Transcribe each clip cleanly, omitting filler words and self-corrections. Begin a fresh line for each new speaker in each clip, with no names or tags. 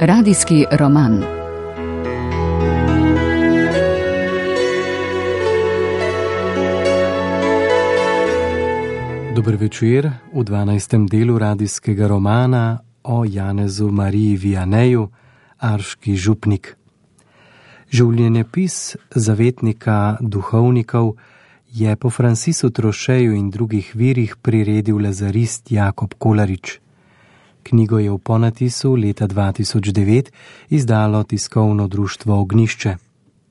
Radijski roman.
Dober večer v 12. delu radijskega romana o Janezu Mariji Vianeju, Arški župnik. Življenjepis zavetnika duhovnikov je po Francisu Trošeju in drugih virih priredil lazarist Jakob Kolarič. Knjigo je v ponatisu leta 2009 izdalo tiskovno društvo Ognjišče.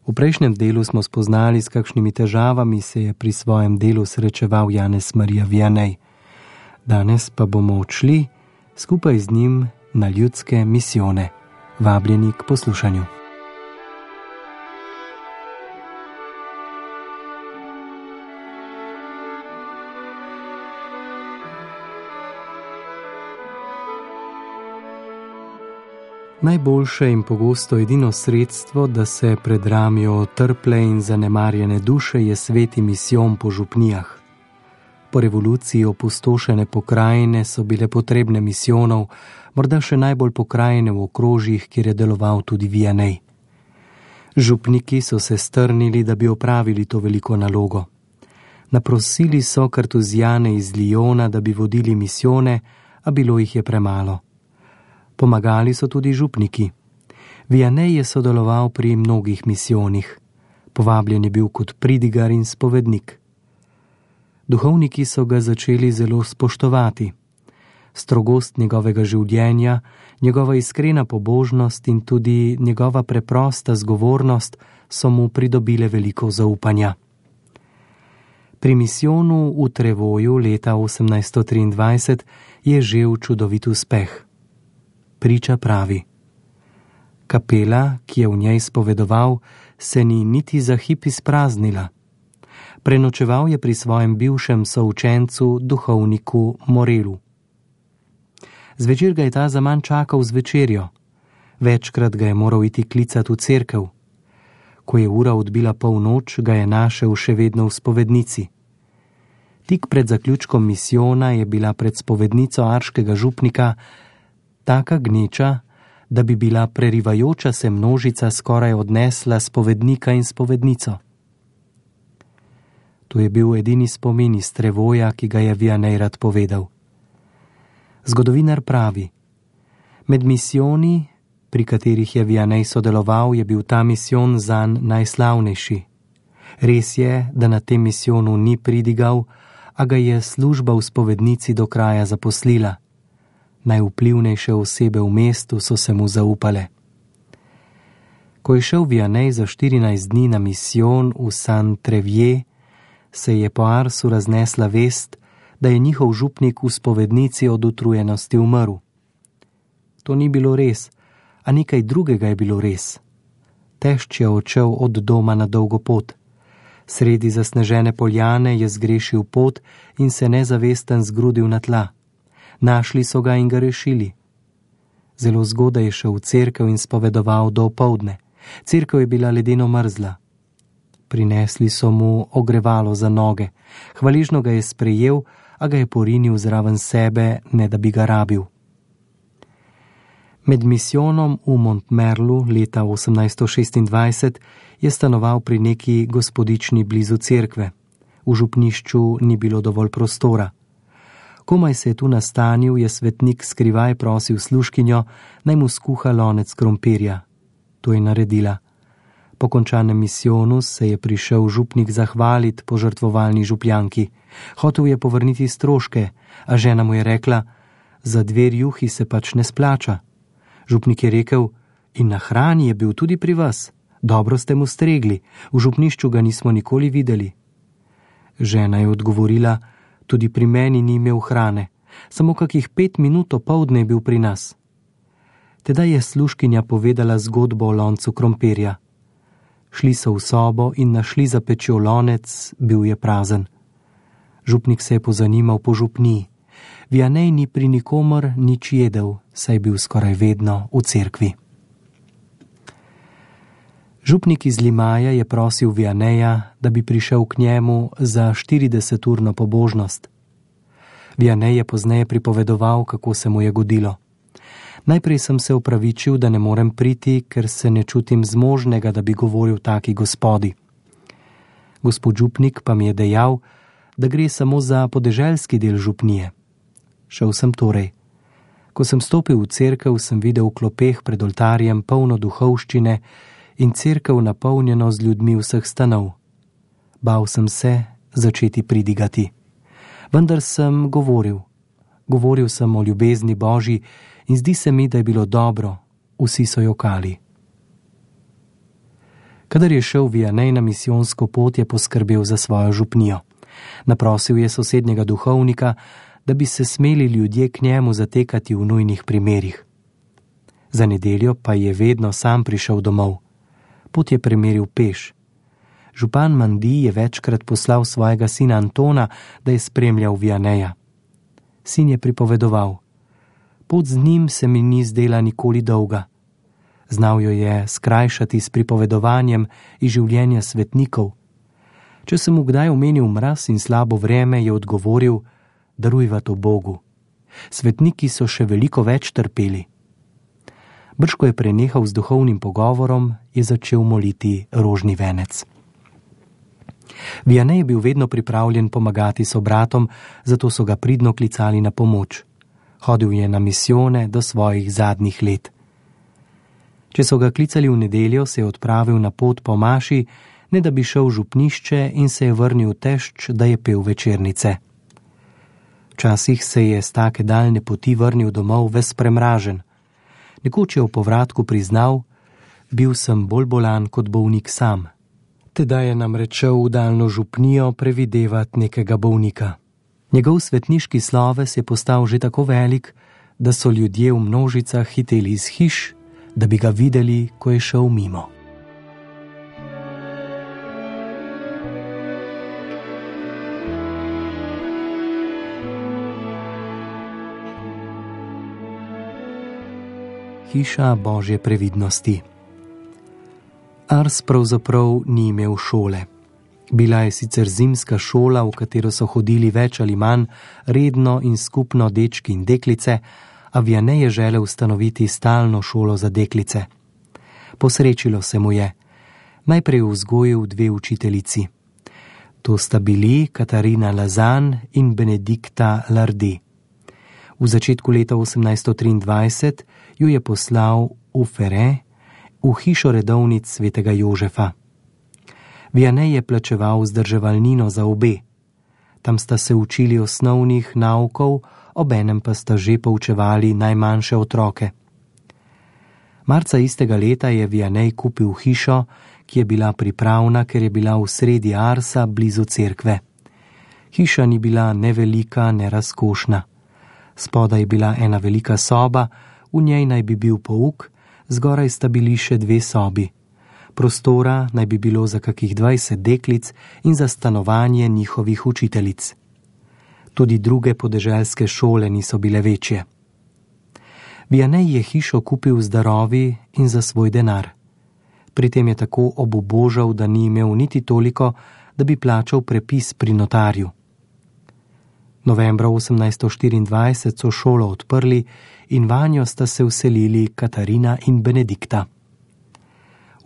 V prejšnjem delu smo spoznali, s kakšnimi težavami se je pri svojem delu srečeval Janez Marija Vianej. Danes pa bomo odšli skupaj z njim na ljudske misijone. Vabljeni k poslušanju. Najboljše in pogosto edino sredstvo, da se predramijo trple in zanemarjene duše, je sveti misijon po župnijah. Po revoluciji opustošene pokrajine so bile potrebne misijonov, morda še najbolj pokrajine v okrožjih, kjer je deloval tudi Vianej. Župniki so se strnili, da bi opravili to veliko nalogo. Naprosili so kartuzijane iz Lyona, da bi vodili misijone, a bilo jih je premalo. Pomagali so tudi župniki. Vianej je sodeloval pri mnogih misijonih. Povabljen je bil kot pridigar in spovednik. Duhovniki so ga začeli zelo spoštovati. Strogost njegovega življenja, njegova iskrena pobožnost in tudi njegova preprosta zgovornost so mu pridobile veliko zaupanja. Pri misijonu v Trevoju leta 1823 je žel čudovit uspeh. Priča pravi: kapela, ki je v njej spovedoval, se ni niti za hip izpraznila. Prenočeval je pri svojem bivšem součencu, duhovniku Morelu. Zvečer ga je ta zaman čakal z večerjo. Večkrat ga je moral iti klicati v cerkev. Ko je ura odbila polnoč, ga je našel še vedno v spovednici. Tik pred zaključkom misijona je bila pred spovednico arškega župnika taka gneča, da bi bila prerivajoča se množica skoraj odnesla spovednika in spovednico. To je bil edini spomin iz Trevoja, ki ga je Vianej rad povedal. Zgodovinar pravi: med misijoni, pri katerih je Vianej sodeloval, je bil ta misijon zanj najslavnejši. Res je, da na tem misijonu ni pridigal, a ga je služba v spovednici do kraja zaposlila. Najvplivnejše osebe v mestu so se mu zaupale. Ko je šel Vianej za 14 dni na misijon v Saint-Trevier, se je po Arsu raznesla vest, da je njihov župnik v spovednici od utrujenosti umrl. To ni bilo res, a nekaj drugega je bilo res. Tešč je odšel od doma na dolgo pot. Sredi zasnežene poljane je zgrešil pot in se nezavesten zgrudil na tla. Našli so ga in ga rešili. Zelo zgodaj je šel v cerkev in spovedoval do opoldne. Cerkev je bila ledeno mrzla. Prinesli so mu ogrevalo za noge. Hvaležno ga je sprejel, a ga je porinil zraven sebe, ne da bi ga rabil. Med misijonom v Montmerlu leta 1826 je stanoval pri neki gospodični blizu cerkve. V župnišču ni bilo dovolj prostora. Komaj se je tu nastanil, je svetnik skrivaj prosil služkinjo, naj mu skuha lonec krompirja. To je naredila. Po končanem misijonu se je prišel župnik zahvaliti požrtvovalni župljanki. Hotel je povrniti stroške, a žena mu je rekla: za 2 rjuhi se pač ne splača. Župnik je rekel: in na hrani je bil tudi pri vas. Dobro ste mu stregli, v župnišču ga nismo nikoli videli. Žena je odgovorila: tudi pri meni ni imel hrane, samo kakih 5 minut opoldne je bil pri nas. Tedaj je služkinja povedala zgodbo o loncu krompirja. Šli so v sobo in našli za pečjo lonec, bil je prazen. Župnik se je pozanimal po župniji. Vianej ni pri nikomor nič jedel, saj je bil skoraj vedno v cerkvi. Župnik iz Limaja je prosil Vianeja, da bi prišel k njemu za 40-urno pobožnost. Vianej je pozneje pripovedoval, kako se mu je godilo. Najprej sem se opravičil, da ne morem priti, ker se ne čutim zmožnega, da bi govoril taki gospodi. Gospod župnik pa mi je dejal, da gre samo za podeželski del župnije. Šel sem torej. Ko sem stopil v cerkev, sem videl v klopeh pred oltarjem polno duhovščine in cerkev napolnjeno z ljudmi vseh stanov. Bal sem se začeti pridigati. Vendar sem govoril. Govoril sem o ljubezni Božji in zdi se mi, da je bilo dobro. Vsi so jokali. Kadar je šel Vianney na misijonsko pot, je poskrbel za svojo župnijo. Naprosil je sosednjega duhovnika, da bi se smeli ljudje k njemu zatekati v nujnih primerih. Za nedeljo pa je vedno sam prišel domov. Pot je premeril peš. Župan Mandi je večkrat poslal svojega sina Antona, da je spremljal Vianneya. Sin je pripovedoval. Pot z njim se mi ni zdela nikoli dolga. Znal jo je skrajšati s pripovedovanjem iz življenja svetnikov. Če sem mu kdaj omenil mraz in slabo vreme, je odgovoril, darujva to Bogu. Svetniki so še veliko več trpeli. Brž ko je prenehal z duhovnim pogovorom, je začel moliti rožni venec. Vianney je bil vedno pripravljen pomagati sobratom, zato so ga pridno klicali na pomoč. Hodil je na misijone do svojih zadnjih let. Če so ga klicali v nedeljo, se je odpravil na pot po maši, ne da bi šel v župnišče in se je vrnil tešč, da je pel večernice. Včasih se je s take daljne poti vrnil domov ves premražen. Nekoč je v povratku priznal, bil sem bolj bolan kot bolnik sam. Tedaj je namreč šel v daljno župnijo previdevat nekega bolnika. Njegov svetniški sloves je postal že tako velik, da so ljudje v množicah hiteli iz hiš, da bi ga videli, ko je šel mimo. Hiša Božje previdnosti. Ars pravzaprav ni imel šole. Bila je sicer zimska šola, v katero so hodili več ali manj redno in skupno dečki in deklice, a Vianney je želel ustanoviti stalno šolo za deklice. Posrečilo se mu je. Najprej vzgojil 2 učiteljici. To sta bili Katarina Lazan in Benedikta Lardi. V začetku leta 1823 jo je poslal v Fere, v hišo redovnic svetega Jožefa. Vianney je plačeval vzdrževalnino za obe. Tam sta se učili osnovnih naukov, obenem pa sta že poučevali najmanjše otroke. Marca istega leta je Vianney kupil hišo, ki je bila pripravna, ker je bila v sredi Arsa blizu cerkve. Hiša ni bila ne velika, ne razkošna. Spodaj je bila ena velika soba, v njej naj bi bil pouk, zgoraj sta bili še 2 sobi. Prostora naj bi bilo za kakih 20 deklic in za stanovanje njihovih učiteljic. Tudi druge podeželske šole niso bile večje. Vianney je hišo kupil z darovi in za svoj denar. Pri tem je tako obubožal, da ni imel niti toliko, da bi plačal prepis pri notarju. Novembra 1824 so šolo odprli in vanjo sta se vselili Katarina in Benedikta.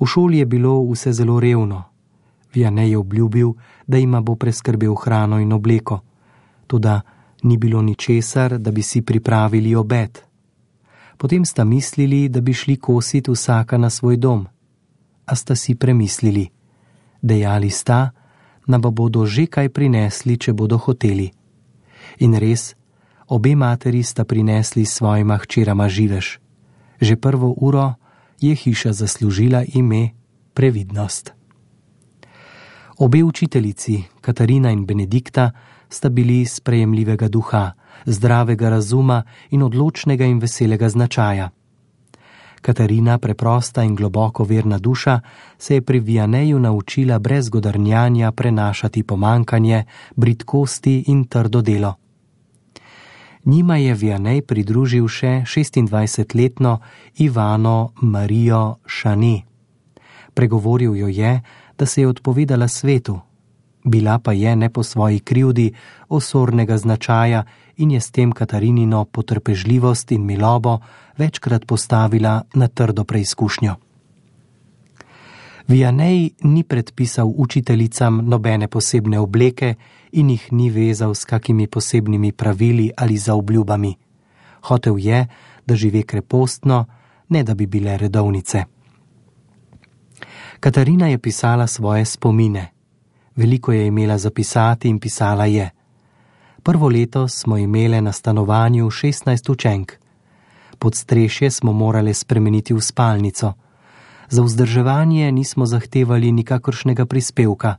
V šoli je bilo vse zelo revno. Vianney je obljubil, da jima bo preskrbel hrano in obleko. Toda ni bilo ničesar, da bi si pripravili obed. Potem sta mislili, da bi šli kosit vsaka na svoj dom. A sta si premislili. Dejali sta, da bodo že kaj prinesli, če bodo hoteli. In res, obe materi sta prinesli svojima hčerama živež. Že prvo uro je hiša zaslužila ime Previdnost. Obe učiteljici, Katarina in Benedikta, sta bili sprejemljivega duha, zdravega razuma in odločnega in veselega značaja. Katarina, preprosta in globoko verna duša, se je pri Vianneyju naučila brez godrnjanja prenašati pomankanje, bridkosti in trdo delo. Njima je Vianney pridružil še 26-letno Ivano Marijo Šani. Pregovoril jo je, da se je odpovedala svetu. Bila pa je ne po svoji krivdi osornega značaja in je s tem Katarinino potrpežljivost in milobo večkrat postavila na trdo preizkušnjo. Vianej ni predpisal učiteljicam nobene posebne obleke in jih ni vezal s kakimi posebnimi pravili ali zaobljubami. Hotel je, da žive krepostno, ne da bi bile redovnice. Katarina je pisala svoje spomine. Veliko je imela zapisati in pisala je. Prvo leto smo imele na stanovanju 16 učenk. Podstrešje smo morale spremeniti v spalnico. Za vzdrževanje nismo zahtevali nikakršnega prispevka.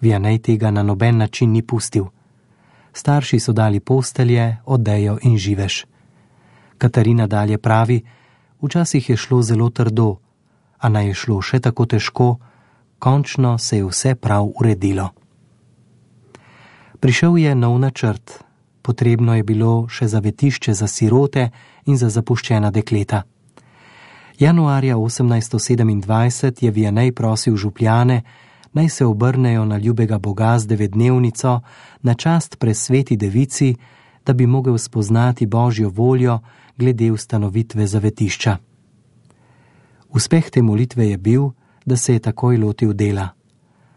Vianej tega na noben način ni pustil. Starši so dali postelje, odejo in živež. Katarina dalje pravi, včasih je šlo zelo trdo, a naj je šlo še tako težko, končno se je vse prav uredilo. Prišel je nov načrt. Potrebno je bilo še zavetišče za sirote in za zapuščena dekleta. Januarja 1827 je Vianej prosil župljane, naj se obrnejo na ljubega Boga z 9-dnevnico na čast presveti devici, da bi mogel spoznati Božjo voljo glede ustanovitve zavetišča. Uspeh te molitve je bil, da se je takoj lotil dela.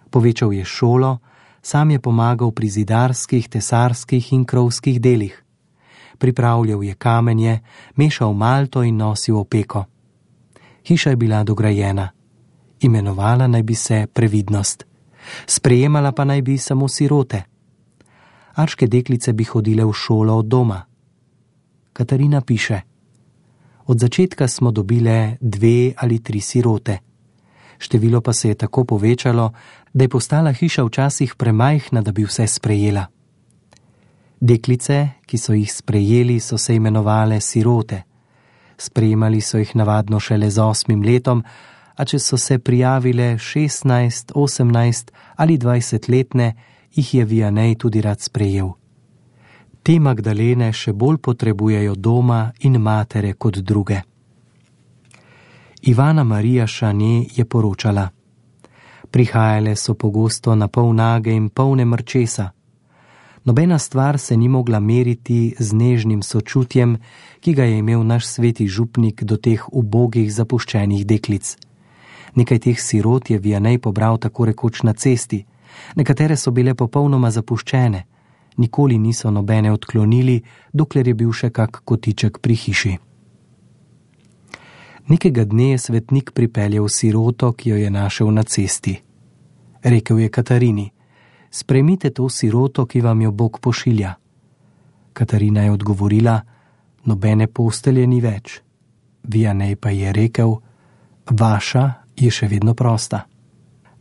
Povečal je šolo, sam je pomagal pri zidarskih, tesarskih in krovskih delih. Pripravljal je kamenje, mešal malto in nosil opeko. Hiša je bila dograjena. Imenovala naj bi se Previdnost. Sprejemala pa naj bi samo sirote. Arške deklice bi hodile v šolo od doma. Katarina piše: Od začetka smo dobile 2 ali 3 sirote. Število pa se je tako povečalo, da je postala hiša včasih premajhna, da bi vse sprejela. Deklice, ki so jih sprejeli, so se imenovale sirote. Sprejemali so jih navadno šele z 8 letom, a če so se prijavile 16, 18 ali 20 letne, jih je Vianej tudi rad sprejel. Te Magdalene še bolj potrebujejo doma in matere kot druge. Ivana Marija Šane je poročala: Prihajale so pogosto na pol nage in polne mrčesa. Nobena stvar se ni mogla meriti z nežnim sočutjem, ki ga je imel naš sveti župnik do teh ubogih zapuščenih deklic. Nekaj teh sirot je Vianej pobral tako rekoč na cesti. Nekatere so bile popolnoma zapuščene. Nikoli niso nobene odklonili, dokler je bil še kak kotiček pri hiši. Nekega dne je svetnik pripeljal siroto, ki jo je našel na cesti. Rekel je Katarini: Sprejmite to siroto, ki vam jo Bog pošilja. Katarina je odgovorila: Nobene postelje ni več. Vianej pa je rekel: Vaša je še vedno prosta.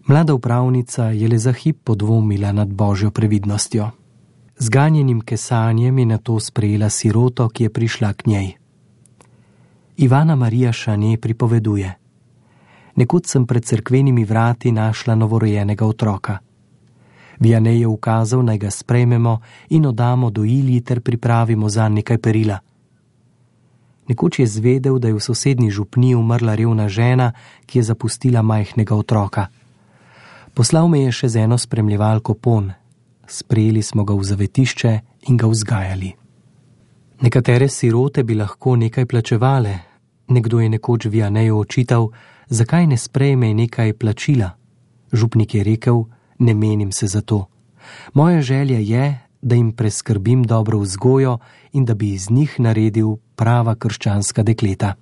Mlada upravnica je le za hip podvomila nad Božjo previdnostjo. Z ganjenim kesanjem je nato sprejela siroto, ki je prišla k njej. Ivana Marija Šane pripoveduje: Nekud sem pred cerkvenimi vrati našla novorojenega otroka. Vianej je ukazal, naj ga sprejmemo in oddamo do Ilji ter pripravimo zanj nekaj perila. Nekoč je zvedel, da je v sosednji župniji umrla revna žena, ki je zapustila majhnega otroka. Poslal me je še z eno spremljevalko ponj. Sprejeli smo ga v zavetišče in ga vzgajali. Nekatere sirote bi lahko nekaj plačevale. Nekdo je nekoč Vianeju očital, zakaj ne sprejme nekaj plačila. Župnik je rekel: Ne menim se za to. Moja želja je, da jim preskrbim dobro vzgojo in da bi iz njih naredil prava krščanska dekleta.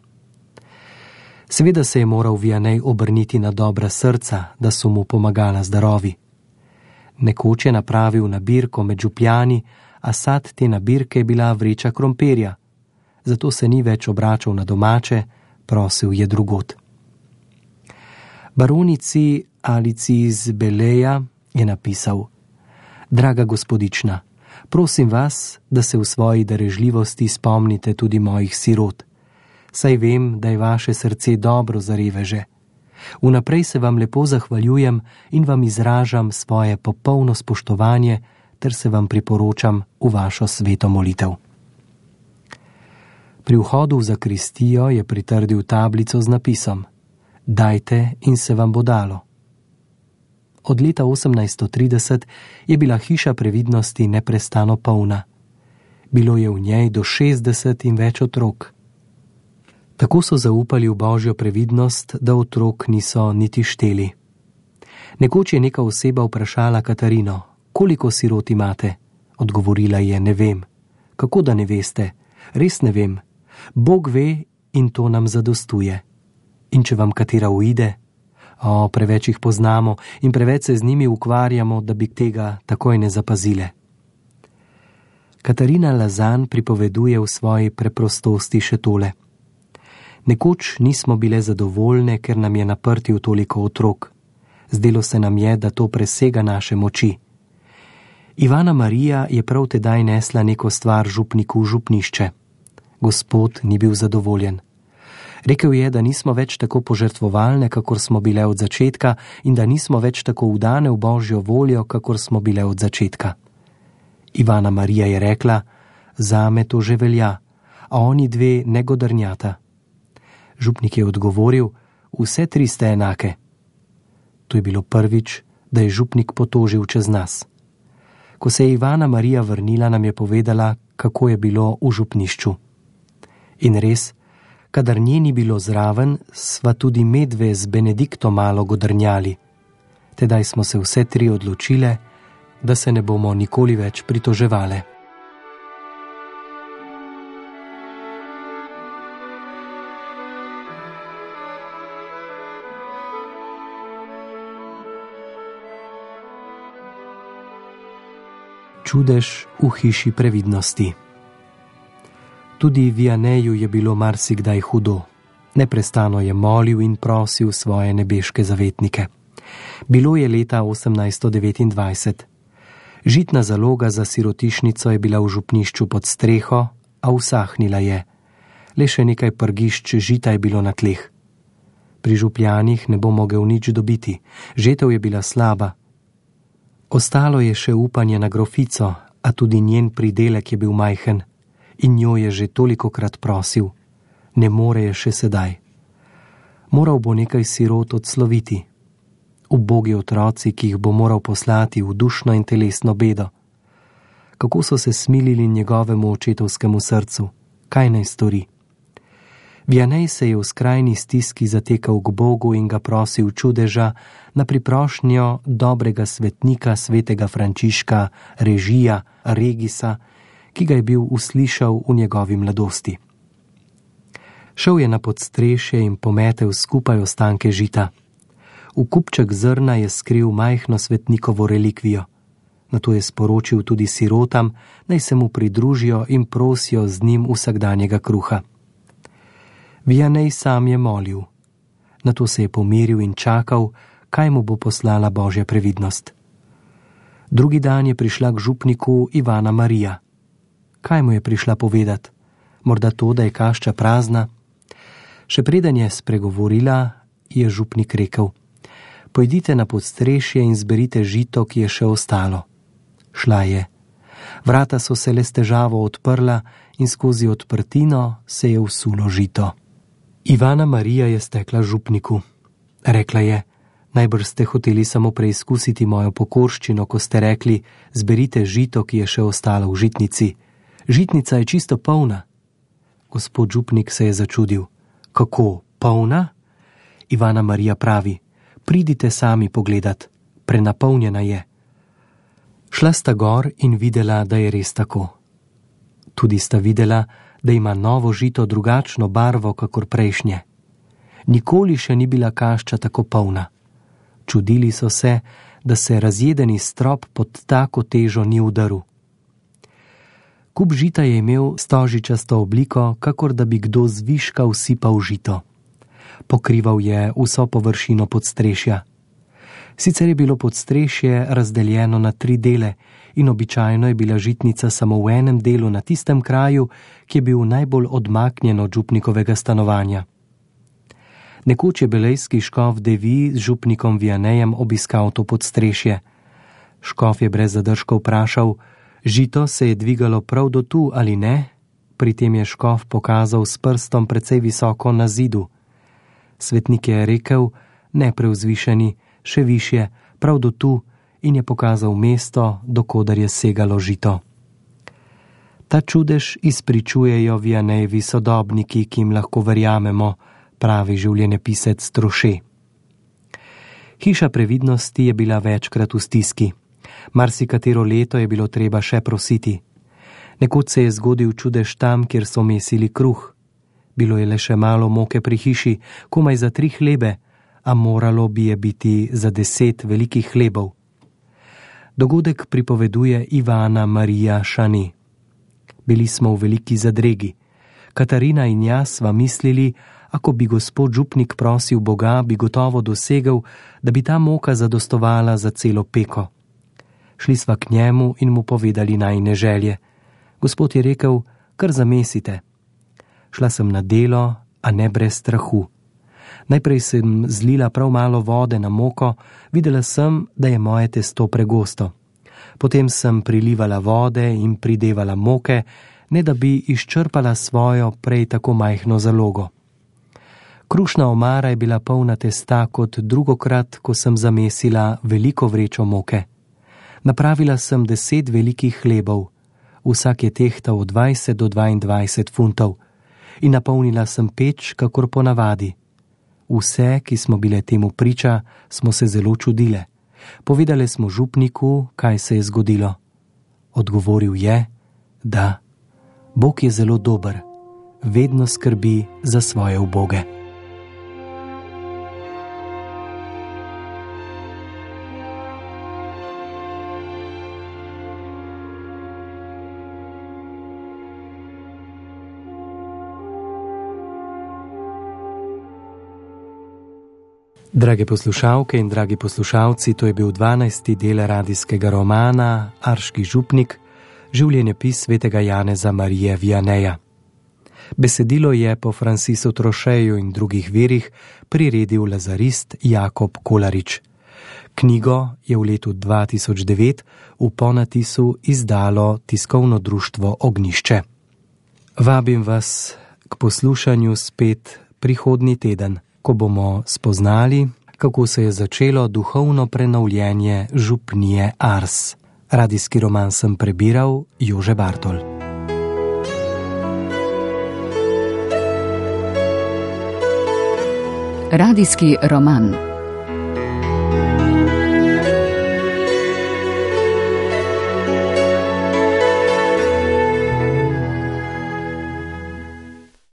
Seveda se je moral Vianej obrniti na dobra srca, da so mu pomagala z darovi. Nekoč je napravil nabirko med župljani, a sad te nabirke je bila vreča krompirja. Zato se ni več obračal na domače, prosil je drugod. Baronici Alici iz Beleja je napisal: Draga gospodična, prosim vas, da se v svoji darežljivosti spomnite tudi mojih sirot. Saj vem, da je vaše srce dobro za reveže. Vnaprej se vam lepo zahvaljujem in vam izražam svoje popolno spoštovanje ter se vam priporočam v vašo sveto molitev. Pri vhodu v zakristijo je pritrdil tablico z napisom: Dajte in se vam bo dalo. Od leta 1830 je bila hiša previdnosti neprestano polna. Bilo je v njej do 60 in več otrok. Tako so zaupali v božjo previdnost, da otrok niso niti šteli. Nekoč je neka oseba vprašala Katarino: koliko sirot imate? Odgovorila je: ne vem. Kako da ne veste? Res ne vem. Bog ve in to nam zadostuje. In če vam katera uide? Preveč jih poznamo in preveč se z njimi ukvarjamo, da bi tega takoj ne zapazile. Katarina Lazan pripoveduje v svoji preprostosti še tole: nekoč nismo bile zadovoljne, ker nam je naprtil toliko otrok. Zdelo se nam je, da to presega naše moči. Ivana Marija je prav tedaj nesla neko stvar župniku v župnišče. Gospod ni bil zadovoljen. Rekel je, da nismo več tako požrtvovalne, kakor smo bile od začetka, in da nismo več tako vdane v božjo voljo, kakor smo bile od začetka. Ivana Marija je rekla: zame to že velja, a oni dve ne godrnjata. Župnik je odgovoril: vse tri ste enake. To je bilo prvič, da je župnik potožil čez nas. Ko se je Ivana Marija vrnila, nam je povedala, kako je bilo v župnišču. In res, kadar nje ni bilo zraven, sva tudi medve z Benediktom malo godrnjali. Tedaj smo se vse tri odločile, da se ne bomo nikoli več pritoževale. Čudež v hiši previdnosti. Tudi Vianeju je bilo marsikdaj hudo. Neprestano je molil in prosil svoje nebeške zavetnike. Bilo je leta 1829. Žitna zaloga za sirotišnico je bila v župnišču pod streho, a usahnila je. Le še nekaj prgišč žita je bilo na tleh. Pri župljanih ne bo mogel nič dobiti. Žetev je bila slaba. Ostalo je še upanje na grofico, a tudi njen pridelek je bil majhen. In njo je že tolikokrat prosil. Ne more je še sedaj. Moral bo nekaj sirot odsloviti. Ubogi otroci, ki jih bo moral poslati v dušno in telesno bedo. Kako so se smilili njegovemu očetovskemu srcu? Kaj naj stori? Vianej se je v skrajni stiski zatekal k Bogu in ga prosil čudeža na priprošnjo dobrega svetnika svetega Frančiška Regisa, ki ga je bil uslišal v njegovi mladosti. Šel je na podstrešje in pometel skupaj ostanke žita. V kupček zrna je skril majhno svetnikovo relikvijo. Nato je sporočil tudi sirotam, naj se mu pridružijo in prosijo z njim vsakdanjega kruha. Vianej sam je molil. Nato se je pomiril in čakal, kaj mu bo poslala božja previdnost. Drugi dan je prišla k župniku Ivana Marija. Kaj mu je prišla povedati? Morda to, da je kašča prazna? Še preden je spregovorila, je župnik rekel: pojdite na podstrešje in zberite žito, ki je še ostalo. Šla je. Vrata so se le s težavo odprla in skozi odprtino se je vsulo žito. Ivana Marija je stekla župniku. Rekla je: najbrž ste hoteli samo preizkusiti mojo pokorščino, ko ste rekli: zberite žito, ki je še ostalo v žitnici. Žitnica je čisto polna. Gospod župnik se je začudil. Kako, polna? Ivana Marija pravi: pridite sami pogledat, prenapolnjena je. Šla sta gor in videla, da je res tako. Tudi sta videla, da ima novo žito drugačno barvo kakor prejšnje. Nikoli še ni bila kašča tako polna. Čudili so se, da se razjedeni strop pod tako težo ni udaril. Kup žita je imel stožičasto obliko, kakor da bi kdo zviška usipal žito. Pokrival je vso površino podstrešja. Sicer je bilo podstrešje razdeljeno na 3 dele in običajno je bila žitnica samo v enem delu na tistem kraju, ki je bil najbolj odmaknjen od župnikovega stanovanja. Nekoč je belejski škof Devi z župnikom Vianejem obiskal to podstrešje. Škof je brez zadržkov vprašal: žito se je dvigalo prav do tu ali ne? Pri tem je škof pokazal s prstom precej visoko na zidu. Svetnik je rekel: ne prevzvišeni, še višje, prav do tu, in je pokazal mesto, dokodar je segalo žito. Ta čudež izpričujejo Vianejevi sodobniki, ki jim lahko verjamemo, pravi življenjepisec Troše. Hiša previdnosti je bila večkrat v stiski. Marsikatero leto je bilo treba še prositi. Nekoč se je zgodil čudež tam, kjer so mesili kruh. Bilo je le še malo moke pri hiši, komaj za 3 hlebe, a moralo bi je biti za 10 velikih hlebov. Dogodek pripoveduje Ivana Marija Šani. Bili smo v veliki zadregi. Katarina in jaz sva mislili, ako bi gospod župnik prosil Boga, bi gotovo dosegel, da bi ta moka zadostovala za celo peko. Šli sva k njemu in mu povedali najine želje. Gospod je rekel, kar zamesite. Šla sem na delo, a ne brez strahu. Najprej sem zlila prav malo vode na moko, videla sem, da je moje testo pregosto. Potem sem prilivala vode in pridevala moke, ne da bi izčrpala svojo prej tako majhno zalogo. Krušna omara je bila polna testa kot drugokrat, ko sem zamesila veliko vrečo moke. Napravila sem 10 velikih hlebov, vsak je tehtal od 20 do 22 funtov, in napolnila sem peč, kakor ponavadi. Vse, ki smo bile temu priča, smo se zelo čudile. Povedale smo župniku, kaj se je zgodilo. Odgovoril je, da Bog je zelo dober, vedno skrbi za svoje uboge. Drage poslušalke in dragi poslušalci, to je bil 12. del radijskega romana Arški župnik, življenjepis svetega Janeza Marije Vianeja. Besedilo je po Francisu Trošeju in drugih virih priredil lazarist Jakob Kolarič. Knjigo je v letu 2009 v ponatisu izdalo tiskovno društvo Ognjišče. Vabim vas k poslušanju spet prihodnji teden, ko bomo spoznali, kako se je začelo duhovno prenovljenje župnije Ars. Radijski roman sem prebiral Jože Bartol.
Radijski roman.